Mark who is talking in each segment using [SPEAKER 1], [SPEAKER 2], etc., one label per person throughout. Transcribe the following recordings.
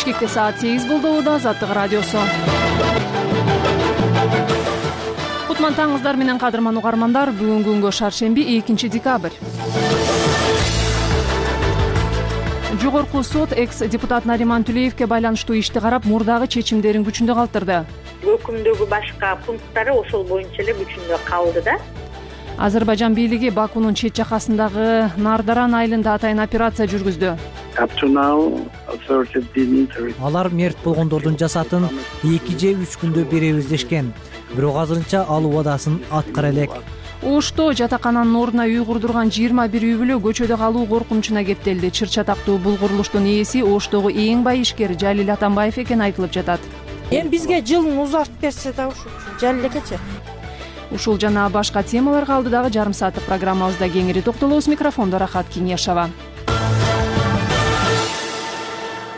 [SPEAKER 1] Бишкекте саат 8 болду. Азаттык радиосу. Кутман таңыңыздар менен кадырман угармандар. Бүгүнкү күнгө шаршемби 2 декабрь. Жогорку сот экс-депутат Нариман Түлеевке байланыштуу ишти карап, мурдагы чечимдерин күчүндө калтырды.
[SPEAKER 2] Өкүмдөгү башка пункттары ошол боюнча эле күчүндө калды да.
[SPEAKER 1] Азербайжан бийлиги Бакунун чет жакасындагы Нардаран айылында атайын операция жүргүздү.
[SPEAKER 3] Алар мерт болгондордун жасатын 2 же 3 күндө беребиз дешкен. Бирок азырынча ал убадасын аткара элек.
[SPEAKER 1] Ошто жатакананын ордуна үй курдурган 21 үй бүлө көчөдө калуу коркунучуна кептелди. Чыр чатактуу бул курулуштун ээси Оштогу эң бай ишкер Жалил Атамбаев экени айтылып жатат.
[SPEAKER 4] Эми бизге жылын узартып берсе да ушул Жалил экечи.
[SPEAKER 1] Ушул жана башка темаларга алдыдагы жарым сааттык программабызда кеңири токтолобуз. Микрофондо Рахат Кеңешова.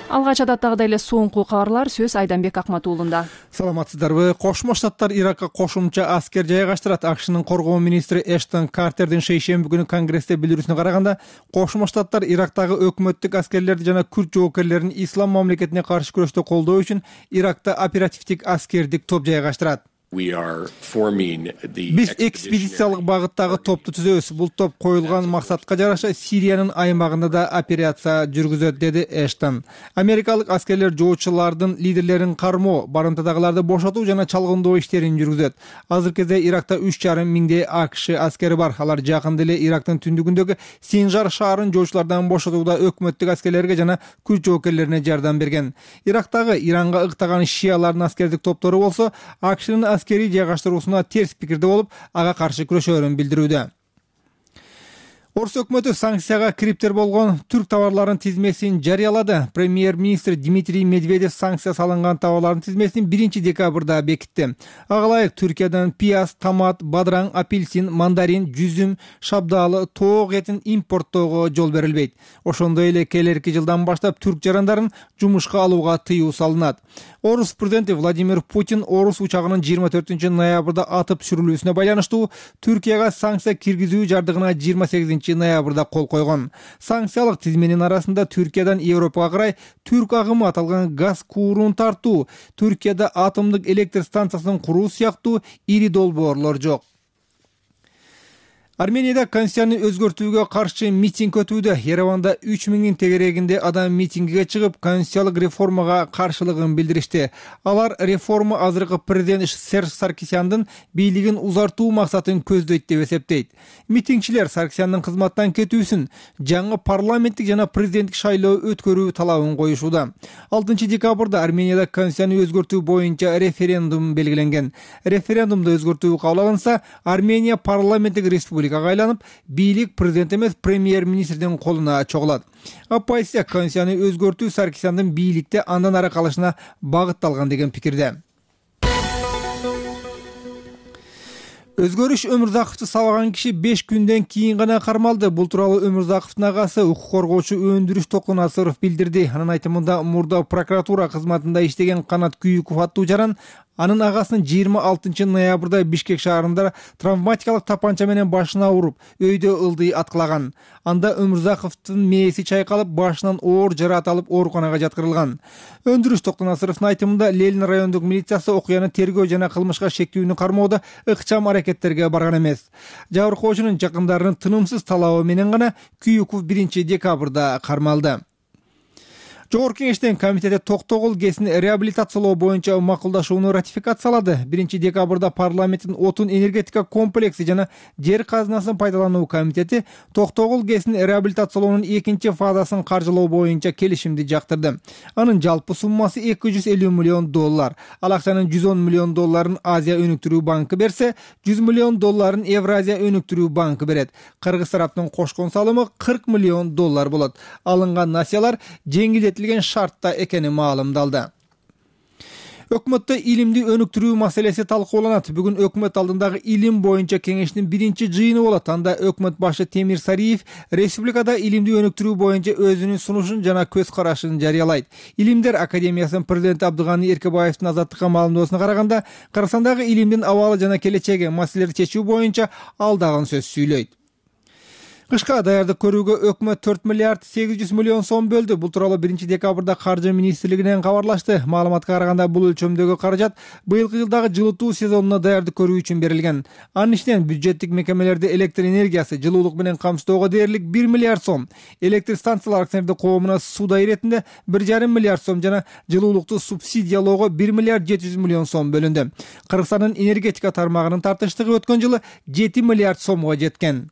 [SPEAKER 1] Алгач адаттагыдай эле соңку кабарлар сөз Айданбек Акматуулунда.
[SPEAKER 5] Саламатсыздарбы? Кошмо Штаттар Иракка кошумча аскер жайгаштырат. АКШнын коргоо министри Эштон Картердин шейшемби күнү Конгрессте билдирүүсүнө караганда, Кошмо Штаттар Ирактагы өкмөттүк аскерлерди жана күрд жоокерлерин ислам мамлекетине каршы күрөштө колдоо үчүн Иракта оперативдик аскердик топ жайгаштырат. Биз экспедициялык багыттагы топту түзөбүз. Бул топ коюлган максатка жараша Сириянын аймагында да операция жүргүзөт, деди Эштон. Америкалык аскерлер жоочулардын лидерлерин кармоо, барымтадагыларды бошотуу жана чалгындоо иштерин жүргүзөт. Азыркы кезде Иракта 3,5 миңдей АКШ аскери бар. Алар жакында эле Ирактын түндүгүндөгү Синжар шаарын жоочулардан бошотууда өкмөттүк аскерлерге жана күрд жоокерлерине жардам берген. Ирактагы Иранга ыктаган шиялардын аскердик топтору болсо, АКШнын аскери жайгаштыруусуна терс пикирде болуп, ага каршы күрөшөөрүн билдирүүдө. Орус өкмөтү санкцияга кириптер болгон түрк товарларынын тизмесин жарыялады. Премьер-министр Дмитрий Медведев санкция салынган товарлардын тизмесин 1 декабрда бекитти. Ага ылайык Түркиядан пияз, томат, бадыраң, апельсин, мандарин, жүзүм, шабдаалы, тоок этин импорттоого жол берилбейт. Ошондой эле келерки жылдан баштап түрк жарандарын жумушка алууга тыюу салынат. Орус президенти Владимир Путин орус учагынын 24 ноябрда атып түшүрүлүүсүнө байланыштуу Түркияга санкция киргизүү жардыгына 28 ноябрда кол койгон. Санкциялык тизменин арасында Түркиядан Европага карай түрк агымы аталган газ куурун тартуу, Түркияда атомдук электр станциясын куруу сыяктуу ири долбоорлор жок. Арменияда конституцияны өзгөртүүгө каршы митинг өтүүдө. Ереванда 3000 тегерегинде адам митингиге чыгып, конституциялык реформага каршылыгын билдиришти. Алар реформа азыркы президент Серж Саркисяндын бийлигин узартуу максатын көздөйт деп эсептейт. Митингчилер Саркисяндын кызматтан кетүүсүн, жаңы парламенттик жана президенттик шайлоо өткөрүү талабын коюшууда. 6 декабрда Арменияда конституцияны өзгөртүү боюнча референдум белгиленген. Референдумду өзгөртүү кабыл алынса, Армения парламенттик республика айланып, бийлик президент эмес премьер-министрдин колуна чогулат. Оппозиция конституцияны өзгөртүү Саркисяндын бийликте андан ары калышына багытталган деген пикирде. Өзгөрүш Өмүрзаковду сабаган киши 5 күндөн кийин гана кармалды. Бул тууралуу Өмүрзаковдун агасы укук коргоочу Өндүрүш Токунасыров билдирди. Анын айтымында, мурда прокуратура кызматында иштеген Канат Күйүков аттуу жаран анын агасынын 26 ноябрда Бишкек шаарында травматикалык тапанча менен башына уруп, өйдө ылдый аткылаган. Анда Өмүрзаковдун мээси чайкалып, башынан оор жараат алып ооруканага жаткырылган. Өндүрүш Токунасыровдун айтымында, Ленин райондук милициясы окуяны тергөө жана кылмышка шектүүнү кармоодо ыкчам аракеттерге барган эмес. Жабыркоочунун жакындарынын тынымсыз талабы менен гана Күйүков 1 декабрда кармалды. Жогорку кеңештин комитети Токтогул ГЭСин реабилитациялоо боюнча макулдашууну ратификациялады. 1 декабрда парламенттин отун энергетика комплекси жана жер казынасын пайдалануу комитети Токтогул ГЭСин реабилитациялоонун 2 фазасын каржылоо боюнча келишимди жактырды. Анын жалпы суммасы $250 миллион. Ал акчанын $110 миллион Азия өнүктүрүү банкы берсе, $100 миллион Евразия өнүктүрүү банкы берет. Кыргыз тараптын кошкон салымы $40 миллион болот. Алынган насыялар жеңилдетилген шартта экени маалымдалды. Өкмөттө илимди өнүктүрүү маселеси талкууланат. Бүгүн өкмөт алдындагы илим боюнча кеңештин 1-жыйыны болот. Анда өкмөт башы Темир Сариев республикада илимди өнүктүрүү боюнча өзүнүн сунушун жана көз карашын жарыялайт. Илимдер академиясынын президенти Абдыганы Эркебаевдин Азаттыкка маалымдоосуна караганда, Кыргызстандагы илимдин абалы жана келечеги маселелерди чечүү боюнча алдаган сөз сүйлөйт. Кышка даярдык көрүүгө өкмөт 4 миллиард 800 миллион сом бөлдү. Бул тууралуу 1-декабрда Каржы министрлигинен кабарлашты. Маалыматка караганда бул өлчөмдөгү каражат быйылкы жылдагы жылытуу сезонуна даярдык көрүү үчүн берилген. Анын ичинен бюджеттик мекемелерди электр энергиясы, жылуулук менен камсыздоого дээрлик 1 миллиард сом, электр станциялар акционердик коомуна суудай иретинде 1,5 миллиард сом жана жылуулукту субсидиялоого 1 миллиард 700 миллион сом бөлүндү. Кыргызстандын энергетика тармагынын тартыштыгы өткөн жылы 7 миллиард сомго жеткен.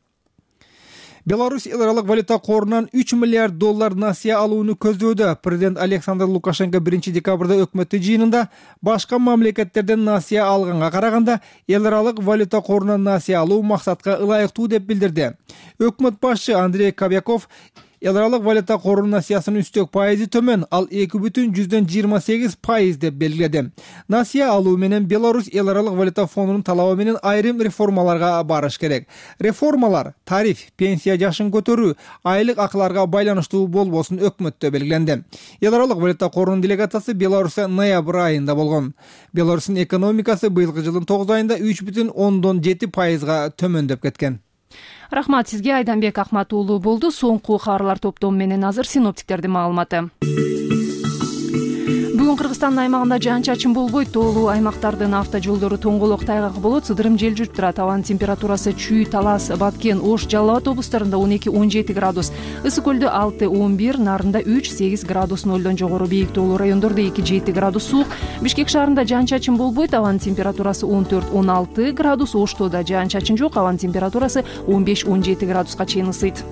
[SPEAKER 5] Беларусь эл аралык валюта корунан 3 миллиард доллар насыя алууну көздөдө. Президент Александр Лукашенко 1-декабрда өкмөттүк жыйынында башка мамлекеттерден насыя алганга караганда эл аралык валюта корунан насыя алуу максатка ылайыктуу деп билдирди. Өкмөт башчы Андрей Кобяков эл аралык валюта корунун насыясынын үстөк пайызы төмөн, ал 2,28% деп белгиледи. Насыя алуу менен Беларусь эл аралык валюта фондунун талабы менен айрым реформаларга барыш керек. Реформалар тариф, пенсия жашын көтөрүү, айлык акыларга байланыштуу болбосун өкмөттө белгиленди. Эл аралык валюта корунун делегациясы Беларусьта ноябрь айында болгон. Беларустун экономикасы быйылкы жылдын 9 айында 3,7%га төмөндөп кеткен.
[SPEAKER 1] Рахмат сизге, Айданбек Ахмат уулу болду. Соңку кабарлар топтому менен азыр синоптиктердин маалыматы. Бүгүн Кыргызстандын аймагында жаан-чачын болбойт. Тоолуу аймактардын автожолдору тоңголок тайгак болот. Сыдырым жел жүрүп турат. Абанын температурасы Чүй, Талас, Баткен, Ош, Жалал Абад облустарында 12-17 градус, Ысык көлдө 6-11, Нарында 3-8 градус нолдон жогору, бийик тоолуу райондордо 2-7 градус суук. Бишкек шаарында жаан-чачын болбойт. Абанын температурасы 14-16 градус, Ошто да жаан-чачын жок. Абанын температурасы 15-17 градуска чейин ысыйт.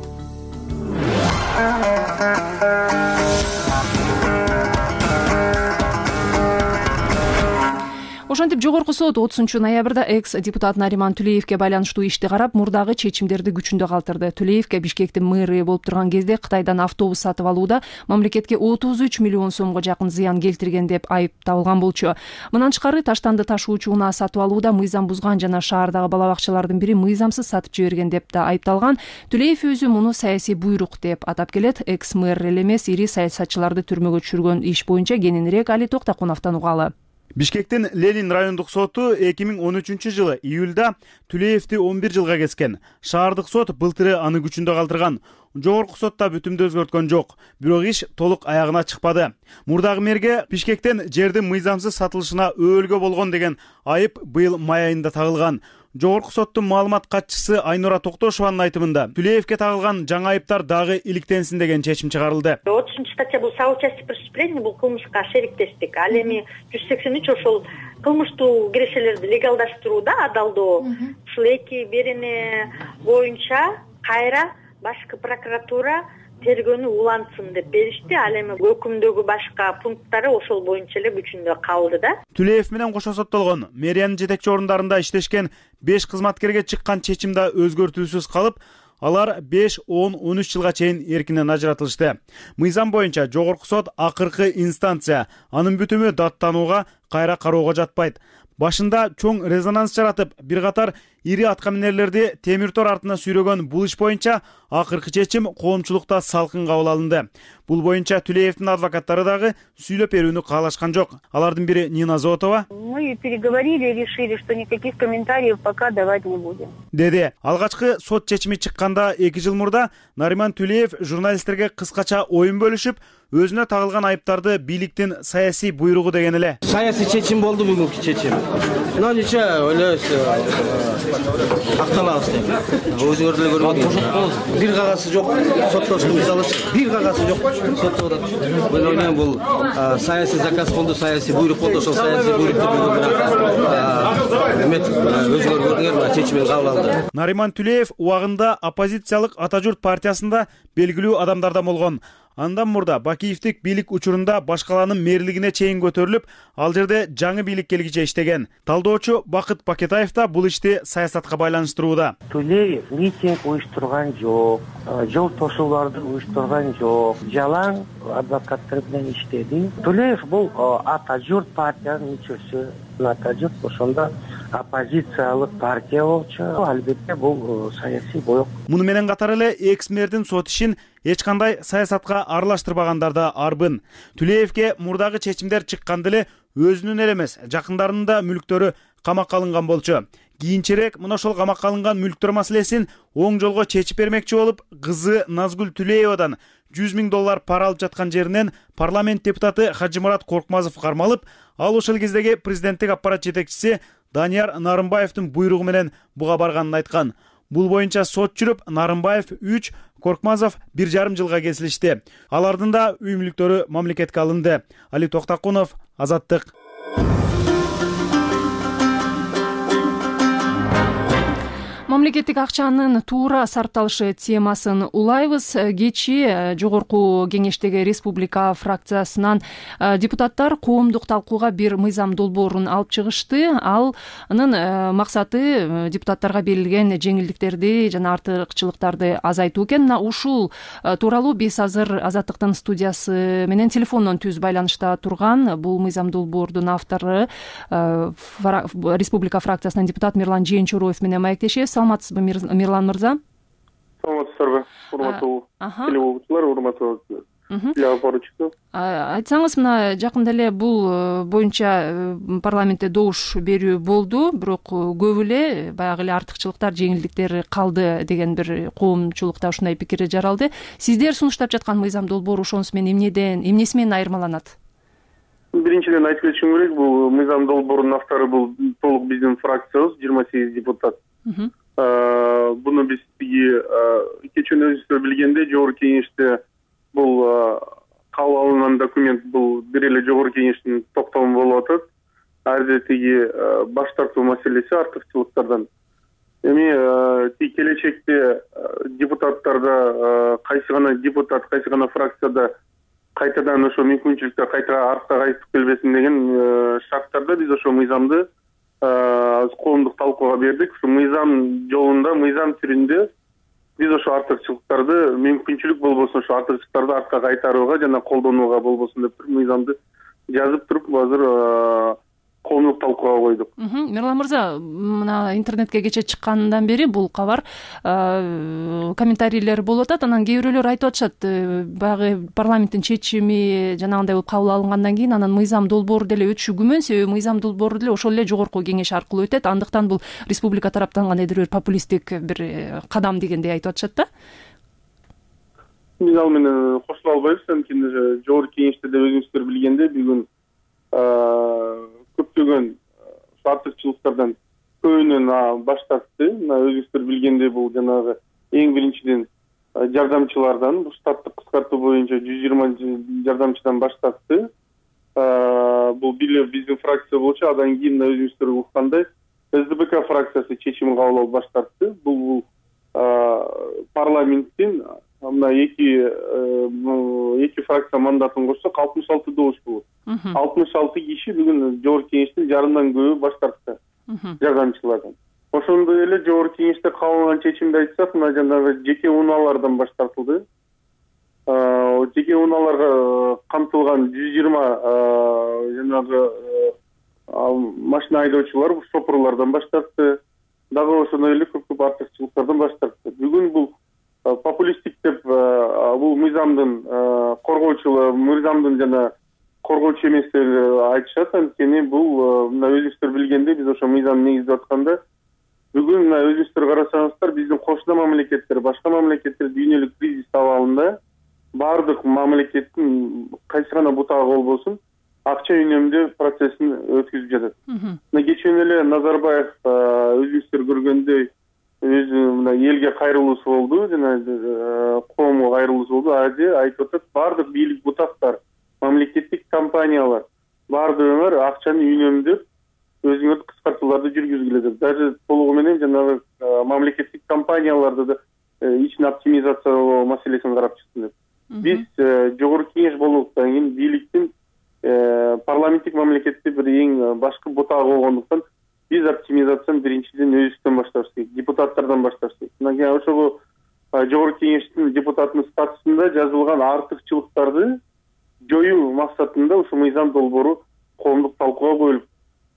[SPEAKER 1] Ошентип жогорку сот 30-ноябрда экс-депутат Нариман Түлеевке байланыштуу ишти карап, мурдагы чечимдерди күчүндө калтырды. Түлеевке Бишкектин мэры болуп турган кезде Кытайдан автобус сатып алууда мамлекетке 33 миллион сомго жакын зыян келтирген деп айыпталган болчу. Мындан тышкары Таштанды ташуучу унаа сатып алууда мыйзам бузган жана шаардагы бала бакчалардын бири мыйзамсыз сатып жиберген деп да айыпталган. Түлеев өзү муну саясий буйрук деп атап келет. Экс-мэр эле эмес, ири саясатчыларды түрмөгө түшүргөн иш боюнча кененирээк Али Токтакуновдон угалы.
[SPEAKER 6] Бишкектин Ленин райондук соту 2013 жылы июлда Түлеевди 11 жылга кескен. Шаардык сот былтыры аны күчүндө калтырган. Жогорку сотта бүтүмдү өзгөрткөн жок, бирок иш толук аягына чыкпады. Мурдагы мэрге Бишкектен жердин мыйзамсыз сатылышына өөлгө болгон деген айып быйыл май айында тагылган. Жогорку соттун маалымат катчысы Айнура Токтошованын айтымында Түлеевке тагылган жаңы айыптар дагы иликтенсин деген чечим чыгарылды.
[SPEAKER 2] 30 статья бул соучастие преступления, бул кылмышка шериктештик. Ал эми 183 ошол кылмыштуу кирешелерди легалдаштырууда, адалдоо. Ушул эки берене боюнча кайра башкы прокуратура тергөөнү улантсын деп беришти. Ал эми өкүмдөгү башка пункттары ошол боюнча эле күчүндө калды да.
[SPEAKER 6] Түлеев менен кошо соттолгон мэриянын жетекчи орундарында иштешкен 5 кызматкерге чыккан чечим да өзгөртүүсүз калып, алар 5, 10, 13 жылга чейин эркинен ажыратылышты. Мыйзам боюнча жогорку сот акыркы инстанция, анын бүтүмү даттанууга, кайра кароого жатпайт. Башында чоң резонанс жаратып, бир катар ири аткаминерлерди темир тор артына сүйрөгөн бул иш боюнча акыркы чечим коомчулукта салкын кабыл алынды. Бул боюнча Түлеевдин адвокаттары дагы сүйлөп берүүнү каалашкан жок. Алардын бири Нина Зотова:
[SPEAKER 7] Мы переговорили и решили, что никаких комментариев пока давать не будем.
[SPEAKER 6] Деди. Алгачкы сот чечими чыкканда 2 жыл мурда Нариман Түлеев журналисттерге кыскача оюн бөлүшүп, өзүнө тагылган айыптарды бийликтин саясий буйругу деген эле.
[SPEAKER 8] Саясий чечим болду бүгүнкү чечим. Но ниче ойлойбуз акталабыз деп. Өзүңөр деле көргөнсүңөр. Бир кагазы жок, соттоштун мисалы бир кагазы жок соттоодон. Мен ойлойм бул саясий заказ болду, саясий буйрук болду, ошол саясий буйрукту бүгүн өзүңөр көрдүңөр, чечимин кабыл алды.
[SPEAKER 6] Нариман Түлеев убагында оппозициялык Ата журт партиясында белгилүү адамдардан болгон. Андан мурда Бакиевдик бийлик учурунда башкаланын мэрлигине чейин көтөрүлүп, ал жерде жаңы бийлик келгиче иштеген. Талдоочу Бакыт Пакетаев да бул ишти саясатка байланыштырууда.
[SPEAKER 9] Түлеев митинг уюштурган жок, жол тошууларды уюштурган жок, жалаң адвокаттар менен иштеди. Түлеев бул Ата журт партиянын мүчөсү. Ата журт ошондо оппозициялык партия болчу. Албетте бул саясий боек.
[SPEAKER 6] Муну менен катар эле экс-мэрдин сот ишин эч кандай саясатка аралаштырбагандар да арбын. Түлеевке мурдагы чечимдер чыкканда эле өзүнүн эле эмес, жакындарынын да мүлктөрү камакка алынган болчу. кийинчерээк мына ошол камакка алынган мүлктөр маселесин оң жолго чечип бермекчи болуп, кызы Назгүл Түлеевадан $100,000 пара алып жаткан жеринен парламент депутаты Хажымурат Коркмазов кармалып, ал ошол кездеги президенттик аппарат жетекчиси Данияр Нарымбаевдин буйругу менен буга барганын айткан. Бул боюнча сот жүрүп, Нарымбаев 3, Коркмазов 1,5 жылга кесилишти. Алардын да үй мүлктөрү мамлекетке алынды. Али Токтакунов, Азаттык.
[SPEAKER 1] Мамлекеттик акчанын туура сарпталышы темасын улайбыз. Кечи жогорку кеңештеги республика фракциясынан депутаттар коомдук талкууга бир мыйзам долбоорун алып чыгышты. Анын максаты депутаттарга берилген жеңилдиктерди жана артыкчылыктарды азайтуу экен. Ушул тууралуу биз азыр Азаттыктын студиясы менен телефондон түз байланышта турган бул мыйзам долбоордун автору республика фракциясынан депутат Мирлан Жээнчороев менен маектешебиз. Саламатсызбы, Мирлан мырза?
[SPEAKER 10] Саламатсыздарбы, урматтуу телеогуучулар, урматтуу телеопоручу.
[SPEAKER 1] Айтсаңыз, мына жакында эле бул боюнча парламентте добуш берүү болду, бирок көп эле баягы эле артыкчылыктар, жеңилдиктер калды деген бир коомчулукта ушундай пикир жаралды. Сиздер сунуштап жаткан мыйзам долбоору ошонусу менен эмнеси менен айырмаланат?
[SPEAKER 10] Биринчиден айтып кетишим керек, бул мыйзам долбоорунун автору бул толук биздин фракциябыз, 28 депутат. Буну биз кечээ өзүңүздөр билгендей, жогорку кеңеште бул кабыл алынган документ бул бир эле жогорку кеңештин токтому болуп атат. Ар жерде баш тартуу маселеси артыкчылыктардан. Эми келечекте депутаттарда кайсы гана депутат, кайсы гана фракцияда кайтадан ошо мүмкүнчүлүктөр кайта артка кайтып келбесин деген шарттарда биз ошо мыйзамды коомдук талкууга бердик. Ушу мыйзам жолунда, мыйзам түрүндө биз ошо артыкчылыктарды мүмкүнчүлүк болбосун, ошо артыкчылыктарды артка кайтарууга жана колдонууга болбосун деп мыйзамды жазып туруп азыр коомдук талкууга койдук.
[SPEAKER 1] Мирлан мырза, мына интернетке кечээ чыккандан бери бул кабар комментарийлер болуп атат. Анан кээ бирөөлөр айтып атышат, баягы парламенттин чечими жанагындай болуп кабыл алынгандан кийин анан мыйзам долбоору деле өтүшү күмөн, себеби мыйзам долбоору деле ошол эле жогорку кеңеш аркылуу өтөт. Андыктан бул республика тараптан кандайдыр бир популисттик бир кадам дегендей айтып атышат да.
[SPEAKER 10] Биз ал менен кошула албайбыз, анткени жогорку кеңеште деп өзүңүздөр билгендей бүгүн көптөгөн артыкчылыктардан көбүнөн баш тартты. Өзүңүздөр билгендей бул жанагы эң биринчиден жардамчылардан, бул штаттык кыскартуу боюнча 120 жардамчыдан баш тартты. Бул бир биздин фракция болчу, андан кийин өзүңүздөр уккандай СДПК фракциясы чечим кабыл алып баш тартты. Бул парламенттин мына эки фракция мандатын кошсок 66 добуш болот. 66 киши бүгүн жогорку кеңештин жарымдан көбү баш тартты жардамчылардан. Ошондой эле жогорку кеңеште кабыл алынган чечимди айтсак, мына жанагы жеке унаалардан баш тартылды. Жеке унааларга камтылган 120 жанагы машина айдоочулар, шопурлардан баш тартты. Дагы ошондой эле көп артыкчылыктардан баш тартты. Бүгүн бул популисттик деп бул мыйзамдын коргоочулар, мыйзамдын жана коргоочу эместер айтышат. Анткени бул мына өзүңүздөр билгендей биз ошо мыйзамды негиздеп атканда бүгүн мына өзүңүздөр карасаңыздар биздин кошуна мамлекеттер, башка мамлекеттер дүйнөлүк кризис абалында баардык мамлекеттин кайсы гана бутагы болбосун акча үнөмдөө процессин өткүзүп жатат. Мына кечээ эле Назарбаев өзүңүздөр көргөндөй өзү мына элге кайрылуусу болду, жана коомго кайрылуусу болду. Аде айтып атат, баардык бийлик бутактар, мамлекеттик компаниялар баардыгыңар акчаны үнөмдөп өзүңөр кыскартууларды жүргүзгүлө деп. Даже толугу менен жанагы мамлекеттик компанияларды да ичин оптимизациялоо маселесин карап чыктым деп. Биз жогорку кеңеш болгондуктан кийин бийликтин парламенттик мамлекетте бир эң башкы бутагы болгондуктан биз оптимизацияны биринчиден өзүбүздөн башташыбыз керек, депутаттардан башташыбыз керек. Мына ошого жогорку кеңештин депутатынын статусунда жазылган артыкчылыктарды жоюу максатында ушу мыйзам долбоору коомдук талкууга коюлуп,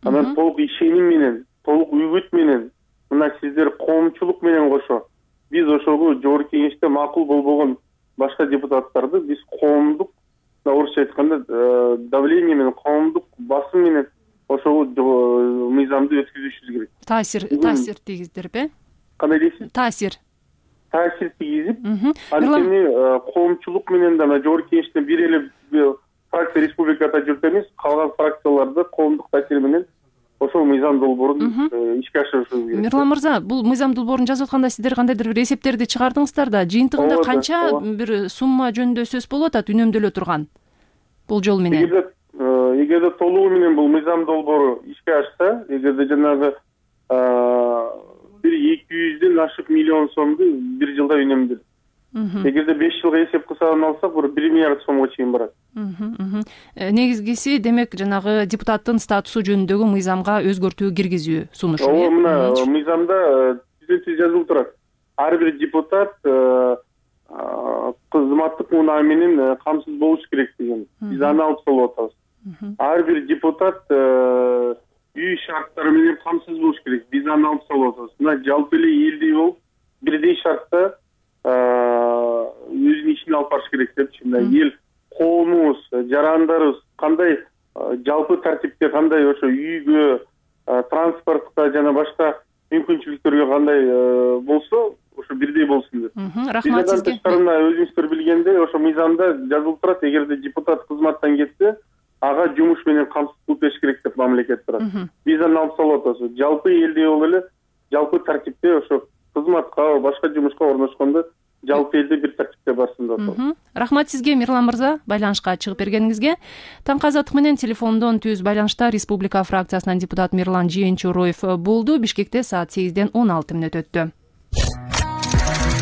[SPEAKER 10] анан толук ишеним менен, толук үгүт менен, мына сиздер коомчулук менен кошо биз ошого жогорку кеңеште макул болбогон башка депутаттарды биз коомдук, орусча айтканда давление менен, коомдук басым менен ошол мыйзамды өткүзүшүбүз керек.
[SPEAKER 1] Таасир тийгиздирип,
[SPEAKER 10] кандай дейсиз?
[SPEAKER 1] Таасир
[SPEAKER 10] тийгизип, анткени коомчулук менен да жогорку кеңештен бир эле фракция республикада жүрүп эмес, калган фракцияларда коомдук таасир менен ошол мыйзам долбоорун ишке ашырышыбыз керек.
[SPEAKER 1] Мирлан мырза, бул мыйзам долбоорун жазып атканда сиздер кандайдыр бир эсептерди чыгардыңыздар да, жыйынтыгында канча бир сумма жөнүндө сөз болуп атат үнөмдөлө турган болжол менен?
[SPEAKER 10] Эгерде толугу менен бул мыйзам долбоору ишке ашса, эгерде жанагы бир 200ден ашык миллион сомду бир жылда үнөмдөлөт. Эгерде 5 жылга эсеп кылсадан алсак, 1 миллиард сомго чейин барат.
[SPEAKER 1] Негизгиси демек жанагы депутаттын статусу жөнүндөгү мыйзамга өзгөртүү киргизүү сунушу.
[SPEAKER 10] Мына мыйзамда түзөтүү жазылып турат. Ар бир депутат кызматтык унаа менен камсыз болуш керек деген. Биз аны алып салып атабыз. Ар бир депутат үй шарттары менен камсыз болуш керек. Биз аны алып салып атабыз. Мына жалпы эле элдей болуп, бирдей шартта өзүнүн ишин алып барыш керек депчи. Мына эл, коомубуз, жарандарыбыз кандай жалпы тартипте, кандай ошо үйгө, транспортко жана башка мүмкүнчүлүктөргө кандай болсо, ошо бирдей болсун деп.
[SPEAKER 1] Рахмат сизге.
[SPEAKER 10] Тышкарында өзүңүздөр билгендей, ошо мыйзамда жазылып турат, эгерде депутат кызматтан кетсе, ага жумуш менен камсыз кылып бериш керек деп мамлекет турат. Биз аны алып салып атабыз. Жалпы элдей болуп эле, жалпы тартипте ошо кызматка, башка жумушка орношкондо жалпы элде бир тартипте барсын деп атабыз.
[SPEAKER 1] Рахмат сизге, Мирлан мырза, байланышка чыгып бергениңизге. Таңкы азаттык менен телефондон түз байланышта Республика фракциясынан депутат Мирлан Жээнчороев болду. Бишкекте саат 8ден 16 мүнөт өттү.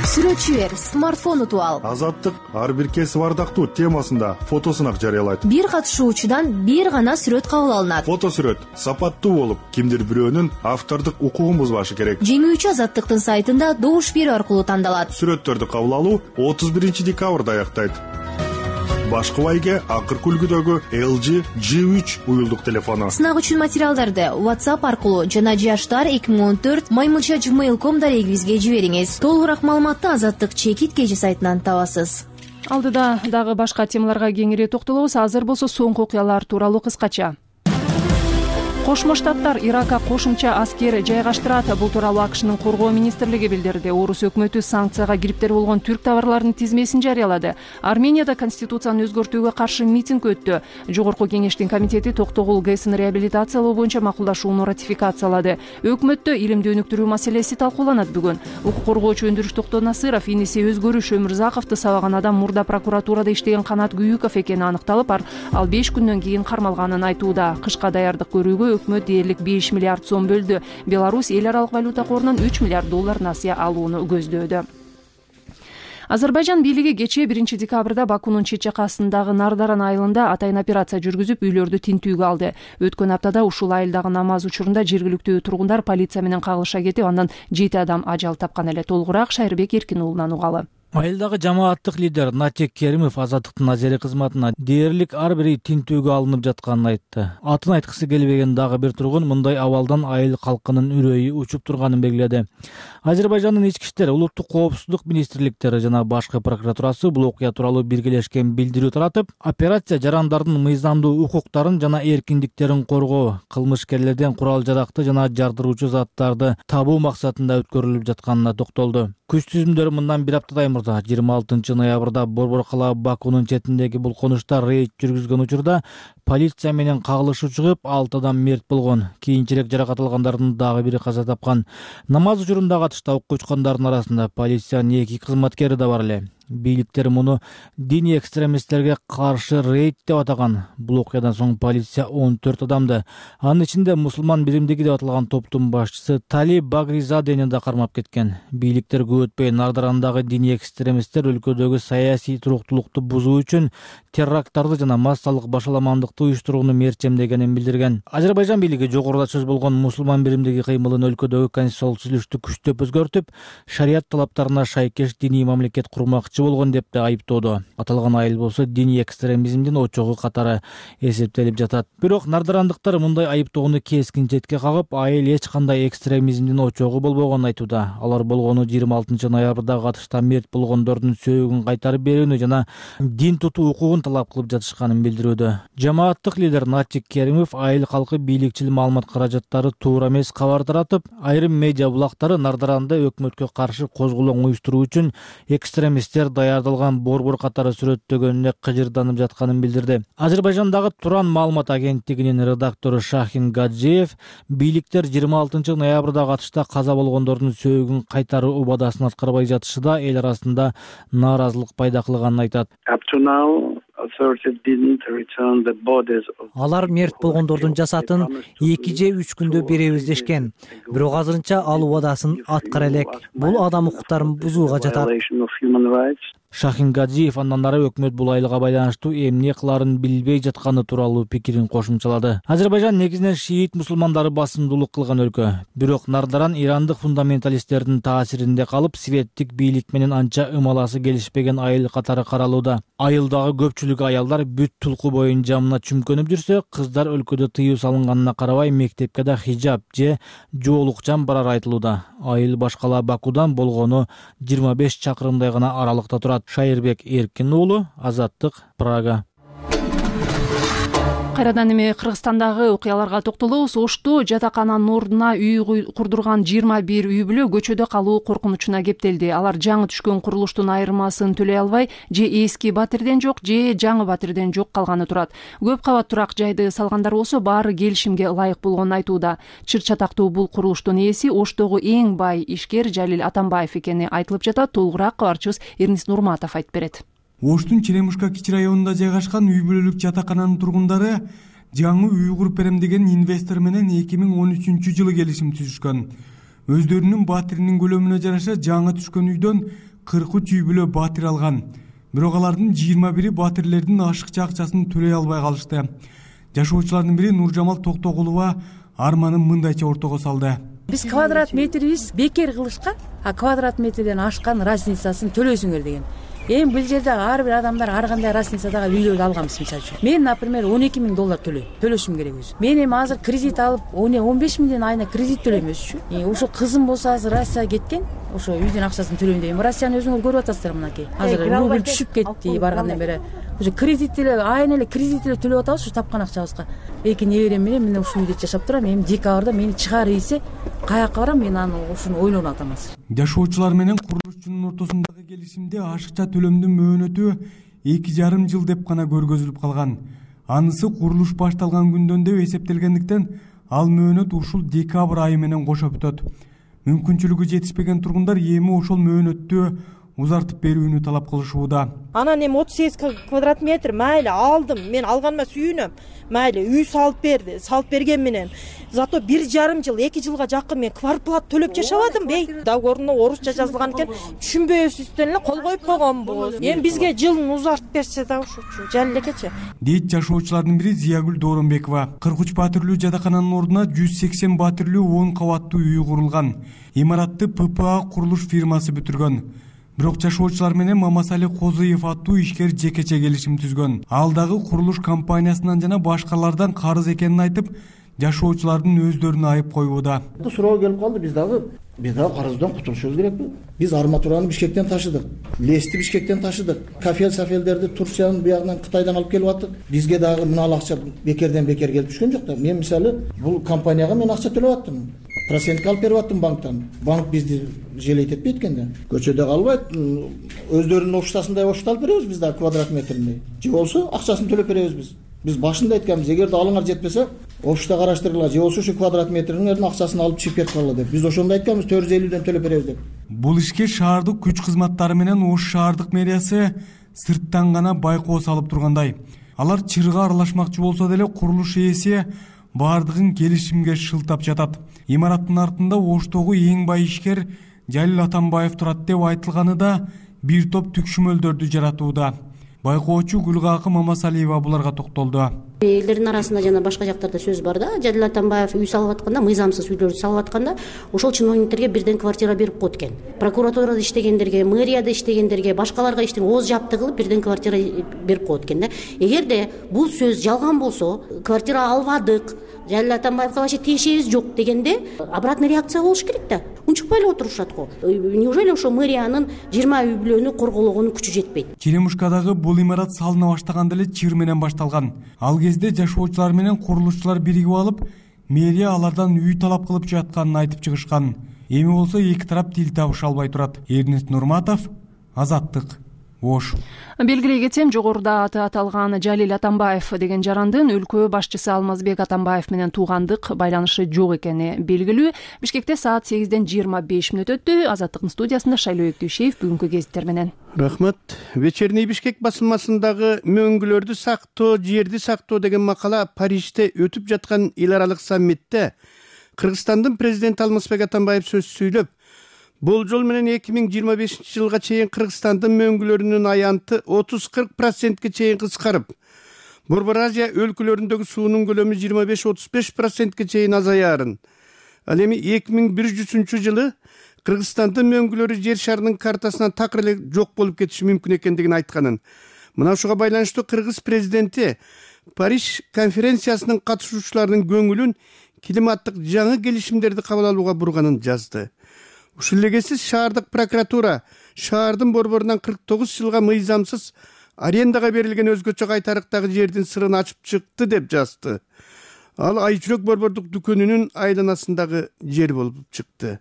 [SPEAKER 11] Сүрөтчү эр смартфон утуп ал.
[SPEAKER 12] Азаттык ар бир кесип ардактуу темасында фотосунак жарыялайт.
[SPEAKER 11] Бир катышуучудан бир гана сүрөт кабыл алынат.
[SPEAKER 12] Фотосүрөт сапаттуу болуп, кимдир бирөөнүн автордук укугун бузбашы керек.
[SPEAKER 11] Жеңүүчү Азаттыктын сайтында добуш берүү аркылуу тандалат.
[SPEAKER 12] Сүрөттөрдү кабыл алуу 31 декабрда аяктайт. Башкы байге акыркы үлгүдөгү LG G3 уюлдук телефону.
[SPEAKER 11] Сынак үчүн материалдарды WhatsApp аркылуу жана jashtar2014@gmail.com дарегибизге жибериңиз. Толугураак маалыматты Азаттык чекит кежи сайтынан табасыз.
[SPEAKER 1] Алдыда дагы башка темаларга кеңири токтолобуз. Азыр болсо соңку окуялар тууралуу кыскача. Кошмо Штаттар Иракка кошумча аскер жайгаштырат. Бул тууралуу АКШнын коргоо министрлиги билдирди. Орус өкмөтү санкцияга кириптер болгон түрк товарларынын тизмесин жарыялады. Арменияда конституцияны өзгөртүүгө каршы митинг өттү. Жогорку кеңештин комитети Токтогул ГЭСин реабилитациялоо боюнча макулдашууну ратификациялады. Өкмөттө илимди өнүктүрүү маселеси талкууланат бүгүн. Укук коргоочу Өндүрүш Токтонасыров иниси Өзгөрүш Өмүрзаковду сабаган адам мурда прокуратурада иштеген Канат Күйүков экени аныкталып, ал 5 күндөн кийин кармалганын айтууда. Кышка даярдык көрүүгө өкмөт дээрлик 5 миллиард сом бөлдү. Беларусь эл аралык валюта корунан 3 миллиард доллар насыя алууну көздөөдө. Азербайжан бийлиги кечээ 1 декабрда Бакунун чет жакасындагы Нардаран айылында атайын операция жүргүзүп, үйлөрдү тинтүүгө алды. Өткөн аптада ушул айылдагы намаз учурунда жергиликтүү тургундар полиция менен кагылыша кетип, андан 7 адам ажал тапкан эле. Толугураак Шайырбек Эркин уулунан угалы.
[SPEAKER 3] Айылдагы жамааттык лидер Натек Керимов Азаттыктын азери кызматына дээрлик ар бири тинтүүгө алынып жатканын айтты. Атын айткысы келбеген дагы бир тургун мындай абалдан айыл калкынын үрөйү учуп турганын белгиледи. Азербайжандын ички иштер, улуттук коопсуздук министрликтери жана башкы прокуратурасы бул окуя тууралуу биргелешкен билдирүү таратып, операция жарандардын мыйзамдуу укуктарын жана эркиндиктерин коргоо, кылмышкерлерден курал-жаракты жана жардыруучу заттарды табуу максатында өткөрүлүп жатканына токтолду. Күч түзүмдөрү мындан бир аптадай мурда 26 ноябрда Борбор кала Бакунун четиндеги бул конушта рейд жүргүзгөн учурда полиция менен кагылышуу чыгып, 6 адам мерт болгон. Кийинчерээк жаракат алгандардын дагы бири каза тапкан. Намаз учурунда катышта окко учкандардын арасында полициянын 2 кызматкери да бар эле. Бийликтер муну диний экстремисттерге каршы рейд деп атаган. Бул окуядан соң полиция 14 адамды, анын ичинде мусулман биримдиги деп аталган топтун башчысы Тали Багризадени да кармап кеткен. Бийликтер көп өтпөй Нардарандагы диний экстремисттер өлкөдөгү саясий туруктуулукту бузуу үчүн теракттарды жана массалык башаламандыкты уюштурууну мерчемдегенин билдирген. Азербайжан бийлиги жогоруда сөз болгон мусулман биримдиги кыймылын өлкөдөгү конституциялык түзүлүштү күчтөп өзгөртүп, шарият талаптарына шайкеш диний мамлекет курмакчы кармакчы болгон деп да айыптоодо. Аталган айыл болсо диний экстремизмдин очогу катары эсептелип жатат. Бирок нардырандыктар мындай айыптоону кескин четке кагып, айыл эч кандай экстремизмдин очогу болбогонун айтууда. Алар болгону 26 ноябрдагы атышта мерт болгондордун сөөгүн кайтарып берүүнү жана дин тутуу укугун талап кылып жатышканын билдирүүдө. Жамааттык лидер Натик Керимов айыл калкы бийликчил маалымат каражаттары туура эмес кабар таратып, айрым медиа булактары Нардаранда өкмөткө каршы козголоң уюштуруу үчүн экстремисттер даярдалган борбор катары сүрөттөгөнүнө кыжырданып жатканын билдирди. Азербайжандагы Туран маалымат агенттигинин редактору Шахин Гаджиев бийликтер 26 ноябрдагы атышта каза болгондордун сөөгүн кайтаруу убадасын аткарбай жатышында эл арасында нааразылык пайда кылганын айтат.
[SPEAKER 13] Алар мерт болгондордун жасатын 2 же 3 күндө беребиз дешкен. Бирок азырынча ал убадасын аткара элек. Бул адам укуктарын бузууга жатат.
[SPEAKER 3] Шахин Гаджиев андан ары өкмөт бул айылга байланыштуу эмне кыларын билбей жатканы тууралуу пикирин кошумчалады. Азербайжан негизинен шиит мусулмандары басымдуулук кылган өлкө. Бирок Нардаран ирандык фундаменталисттердин таасиринде калып, светтик бийлик менен анча ымаласы келишпеген айыл катары каралууда. Айылдагы көпчүлүк аялдар бүт тулку боюн жамына чүмкөнүп жүрсө, кыздар өлкөдө тыюу салынганына карабай мектепке да хижаб же жоолукчан барар айтылууда. Айыл башкала Бакудан болгону 25 чакырымдай гана аралыкта турат. Шайырбек Эркин уулу, Азаттык, Прага.
[SPEAKER 1] Кайрадан эми Кыргызстандагы окуяларга токтолобуз. Ошто жатакананын ордуна үй курдурган 21 үй бүлө көчөдө калуу коркунучуна кептелди. Алар жаңы түшкөн курулуштун айырмасын төлөй албай, же эски батирден жок, же жаңы батирден жок калганы турат. Көп кабат турак жайды салгандар болсо баары келишимге ылайык болгонун айтууда. Чыр чатактуу бул курулуштун ээси Оштогу эң бай ишкер Жалил Атамбаев экени айтылып жатат. Толугураак кабарчыбыз Эрнис Нурматов айтып берет.
[SPEAKER 14] Оштун Черемушка кичи районунда жайгашкан үй бүлөлүк жатакананын тургундары жаңы үй куруп берем деген инвестор менен 2013-жылы келишим түзүшкөн. Өздөрүнүн батиринин көлөмүнө жараша жаңы түшкөн үйдөн 43 үй бүлө батир алган. Бирок алардын 21 батирлердин ашыкча акчасын төлөй албай калышты. Жашоочулардын бири Нуржамал Токтогулова арманын мындайча ортого салды.
[SPEAKER 15] Биз квадрат метрибиз бекер кылышкан, а квадрат метрден ашкан разницасын төлөсүңөр деген. Эми бул жерде ар бир адамдар ар кандай разницадагы үйлөрдү алганбыз. Мисалы үчүн мен, например, $12,000 төлөшүм керек өзүм. Мен эми азыр кредит алып, 15 миңден айына кредит төлөйм өзүчү. Ошо кызым болсо азыр Россияга кеткен, ошо үйдүн акчасын төлөйм дейм. Россияны өзүңөр көрүп атасыздар мынакей. Азыр рубль түшүп кетти баргандан бери. Уже кредит эле, айына эле кредит эле төлөп атабыз ушу тапкан акчабызга. Эки неберем менен мен ушул үйдө жашап турам. Эми декабрда мени чыгар ийсе, каяка барам, мен аны ушуну ойлонуп атам азыр.
[SPEAKER 14] Жашоочулар менен курулушчунун ортосундагы келишимде ашыкча төлөмдүн мөөнөтү 2,5 жыл деп гана көргөзүлүп калган. Анысы курулуш башталган күндөн деп эсептелгендиктен ал мөөнөт ушул декабрь айы менен кошо бүтөт. Мүмкүнчүлүгү жетишпеген тургундар эми ошол мөөнөттү узартып берүүнү талап кылышууда.
[SPEAKER 4] Анан эми 38 квадрат метр майли алдым. Мен алганыма сүйүнөм. Майли үй салып берди. Салып берген менен зато 1,5 жыл, 2 жылга жакын мен квартплата төлөп жашабадым бей. Договоруна орусча жазылган экен. Түшүнбөйсүздөн эле кол коюп койгонбуз. Эми бизге жылын узартып берсе да ушучу жал элекечи.
[SPEAKER 14] Дейт жашоочулардын бири Зиягүл Дооронбекова. 43 батирлүү жатакананын ордуна 180 батирлүү 10 кабаттуу үй курулган. Имаратты ППА курулуш фирмасы бүтүргөн. Бирок жашоочулар менен Мамасали Козыев аттуу ишкер жекече келишим түзгөн. Ал дагы курулуш компаниясынан жана башкалардан карыз экенин айтып, жашоочулардын өздөрүнө айып коюуда.
[SPEAKER 16] Суроо келип калды, биз дагы карыздан кутулушубуз керекпи? Биз арматураны Бишкектен ташыдык, лести Бишкектен ташыдык, кафел-сафелдерди Турциянын буягынан Кытайдан алып келип аттык. Бизге дагы мына акча бекерден бекер келип түшкөн жок да. Мен мисалы бул компанияга мен акча төлөп аттым. Процентке алып берип аттым банктан. Банк бизди желейт этпейт экен. Көчөдө калбайт, өздөрүнүн оштасындай ошто алып беребиз биз да квадрат метрине. Же болсо акчасын төлөп беребиз биз. Биз башында айтканбыз, эгерде алыңар жетпесе, ошто караштыргыла, же болсо ушу квадрат метринин акчасын алып чыгып кетип калгыла деп. Биз ошондо айтканбыз, 450ден төлөп беребиз деп.
[SPEAKER 14] Бул ишке шаардык күч кызматтары менен Ош шаардык мэриясы сырттан гана байкоо салып тургандай. Алар чырга аралашмакчы болсо деле курулуш ээси бардыгын келишимге шылтап жатат. Имараттын артында Оштогу эң бай ишкер Жалил Атамбаев турат деп айтылганы да бир топ түкшүмөлдөрдү жаратууда. Байкоочу Гүлгакы Мамасалиева буларга токтолду.
[SPEAKER 17] Элдердин арасында жана башка жактарда сөз бар да, Жадил Атамбаев үй салып атканда, мыйзамсыз үйлөрдү салып атканда, ошол чиновниктерге бирден квартира берип коет экен. Прокуратурада иштегендерге, мэрияда иштегендерге, башкаларга ооз жапты кылып бирден квартира берип коет экен да. Эгерде бул сөз жалган болсо, квартира албадык, Жадил Атамбаевга вообще тиешебиз жок дегенде обратный реакция болуш керек да. Унчукпай эле отурушат го. Неужели ошо мэриянын 20 үй бүлөнү коргологонун күчү жетпейт?
[SPEAKER 14] Черемушкадагы бул имарат салына баштаганда эле чыр менен башталган. Ал кезде жашоочулар менен курулушчулар биригип алып, мэрия алардан үй талап кылып жатканын айтып чыгышкан. Эми болсо эки тарап тил табыша албай турат. Эрнест Нурматов, Азаттык, Ош.
[SPEAKER 1] Белгилей кетсем, жогоруда аты аталган Жалил Атамбаев деген жарандын өлкө башчысы Алмазбек Атамбаев менен туугандык байланышы жок экени белгилүү. Бишкекте саат 8-ден 25 мүнөт өттү. Азаттыктын студиясында Шайлоо Өктүшев бүгүнкү гезиттер менен.
[SPEAKER 18] Рахмат. Вечерний Бишкек басылмасындагы мөңгүлөрдү сактоо, жерди сактоо деген макала Парижде өтүп жаткан эл аралык саммитте Кыргызстандын президенти Алмазбек Атамбаев сөз сүйлөп, болжол менен 2025 жылга чейин Кыргызстандын мөңгүлөрүнүн аянты 30-40%ке чейин кыскарып, Борбор Азия өлкөлөрүндөгү суунун көлөмү 25-35%ке чейин азаярын. Ал эми 2100 жылы Кыргызстандын мөңгүлөрү жер шарынын картасынан такыр эле жок болуп кетиши мүмкүн экендигин айтканын. Мына ушуга байланыштуу Кыргыз президенти Париж конференциясынын катышуучуларынын көңүлүн климаттык жаңы келишимдерди кабыл алууга бурганын жазды. Ушул эле шаардык прокуратура шаардын борборунан 49 жылга мыйзамсыз арендага берилген өзгөчө кайтарыктагы жердин сырын ачып чыкты деп жазды. Ал Айчүрөк борбордук дүкөнүнүн айланасындагы жер болуп чыкты.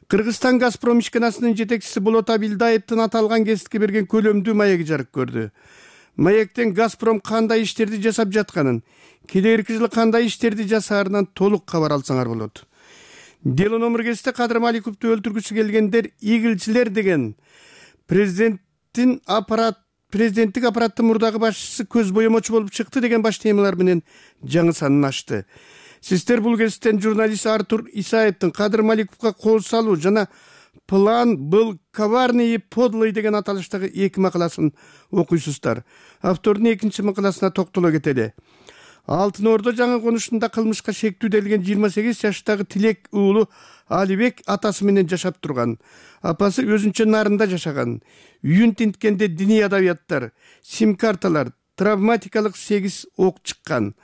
[SPEAKER 18] Кыргызстан Газпром ишканасынын жетекчиси Болот Абилдаевдин аталган кесипке берген көлөмдүү маеги жарык көрдү. Маектен Газпром кандай иштерди жасап жатканын, келерки жылы кандай иштерди жасаарынан толук кабар алсаңар болот. Дело номер кесте Кадыр Маликовду өлтүргүсү келгендер игилчилер деген президенттик аппараттын мурдагы башчысы көз боемочу болуп чыкты деген баш темалар менен жаңы санын ачты. Сиздер бул кесиптен журналист Артур Исаевдин Кадыр Маликовго кол салуу жана план был коварный и подлый деген аталыштагы эки макаласын окуйсуздар. Автордун экинчи макаласына токтоло кетели. Алтын Ордо жаңы конушунда кылмышка шектүү делген 28 жаштагы Тилек уулу Алибек атасы менен жашап турган. Апасы өзүнчө нарында жашаган. Үйүн тинткенде диний адабияттар, сим-карталар, травматикалык 8 ок чыккан.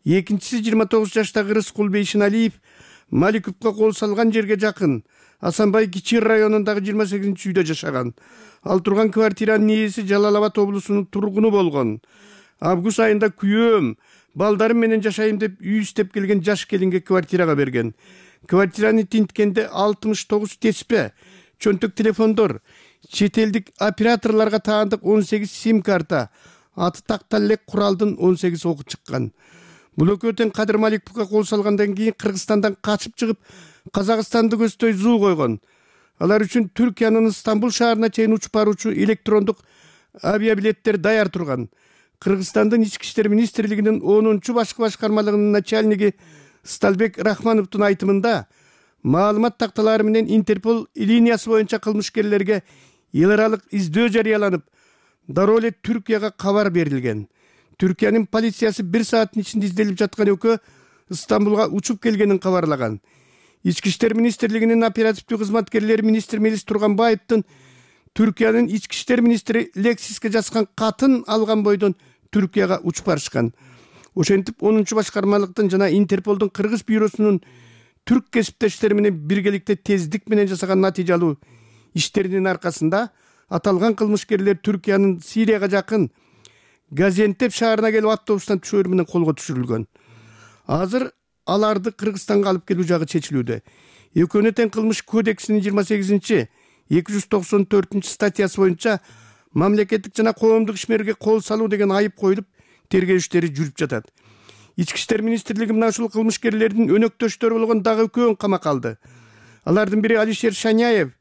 [SPEAKER 18] Экинчиси 29 жаштагы Рыскул Бейшиналиев Маликовго кол салган жерге жакын Асанбай Кичи районундагы 28-үйдө жашаган. Ал турган квартиранын ээси Жалал Абад облусунун тургуну болгон. Август айында күйөөм, балдарым менен жашайм деп үй издеп келген жаш келинге квартирага берген. Квартираны тинткенде 69 теспе, чөнтөк телефондор, чет элдик операторлорго таандык 18 сим-карта, аты тактал элек куралдын 18 оку чыккан. Бул экөөтөн Кадыр Маликовго кол салгандан кийин Кыргызстандан качып чыгып, Казакстанды көздөй зуу койгон. Алар үчүн Түркиянын Стамбул шаарына чейин учуп баруучу электрондук авиабилеттер даяр турган. Кыргызстандын Ички иштер министрлигинин 10-чу башкы башкармалыгынын начальниги Сталбек Рахмановдун айтымында маалымат такталары менен Интерпол линиясы боюнча кылмышкерлерге эл аралык издөө жарыяланып, дароо эле Түркияга кабар берилген. Түркиянын полициясы 1 сааттын ичинде изделип жаткан экөө Стамбулга учуп келгенин кабарлаган. Ички иштер министрлигинин оперативдүү кызматкерлери министр Мелис Турганбаевдин Түркиянын ички иштер министри Лексиске жазган катын алган бойдон Түркияга учуп барышкан. Ошентип 10-чу башкармалыктын жана Интерполдун Кыргыз бюросунун түрк кесиптештери менен биргеликте тездик менен жасаган натыйжалуу иштеринин аркасында аталган кылмышкерлер Түркиянын Сирияга жакын Газиантеп шаарына келип автобустан түшөөр менен колго түшүрүлгөн. Азыр аларды Кыргызстанга алып келүү жагы чечилүүдө. Экөөнө тең кылмыш кодексинин 28-294 статьясы боюнча мамлекеттик жана коомдук ишмерге кол салуу деген айып коюлуп, тергөө иштери жүрүп жатат. Ички иштер министрлиги мына ушул кылмышкерлердин өнөктөштөрү болгон дагы экөөнүн камакка алды. Алардын бири Алишер Шаняев,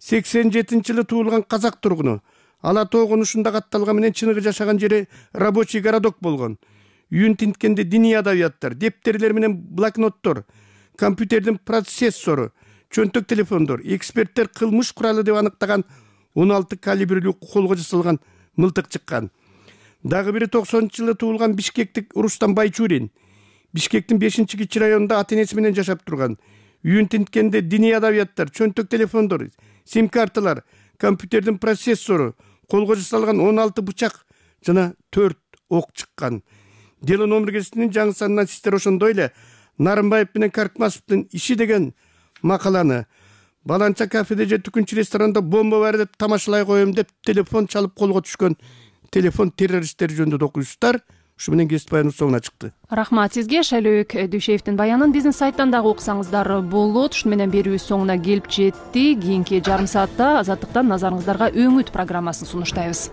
[SPEAKER 18] 87-жылы туулган казак тургуну. Ала Тоо конушунда катталган менен чыныгы жашаган жери рабочий городок болгон. Үйүн тинткенде диний адабияттар, дептерлер менен блокноттор, компьютердин процессору, чөнтөк телефондор, эксперттер кылмыш куралы деп аныктаган 16 калибрлүү колго жасалган мылтык чыккан. Дагы бири 90-жылы туулган бишкектик Рустам Байчурин. Бишкектин 5-Кичи районунда ата энеси менен жашап турган. Үйүн тинткенде диний адабияттар, чөнтөк телефондор, сим карталар, компьютердин процессору, колго жасалган 16 бычак жана 4 ок чыккан. Дело номергесинин жаңы санынан сиздер ошондой эле Нарымбаев менен Каркмасовдун иши деген макаланы, баланча кафеде же түкүнчү ресторанда бомба бар деп тамашалай коем деп телефон чалып колго түшкөн телефон террористтери жөнүндө окуйсуздар. Ушу менен кесип баяныбыз соңуна чыкты.
[SPEAKER 1] Рахмат сизге. Шайлөөбек Дүйшеевдин баянын бизнес сайттан дагы окусаңыздар болот. Ушуну менен берүүбүз соңуна келип жетти. Кийинки жарым саатта Азаттыктан назарыңыздарга Өңүт программасын сунуштайбыз.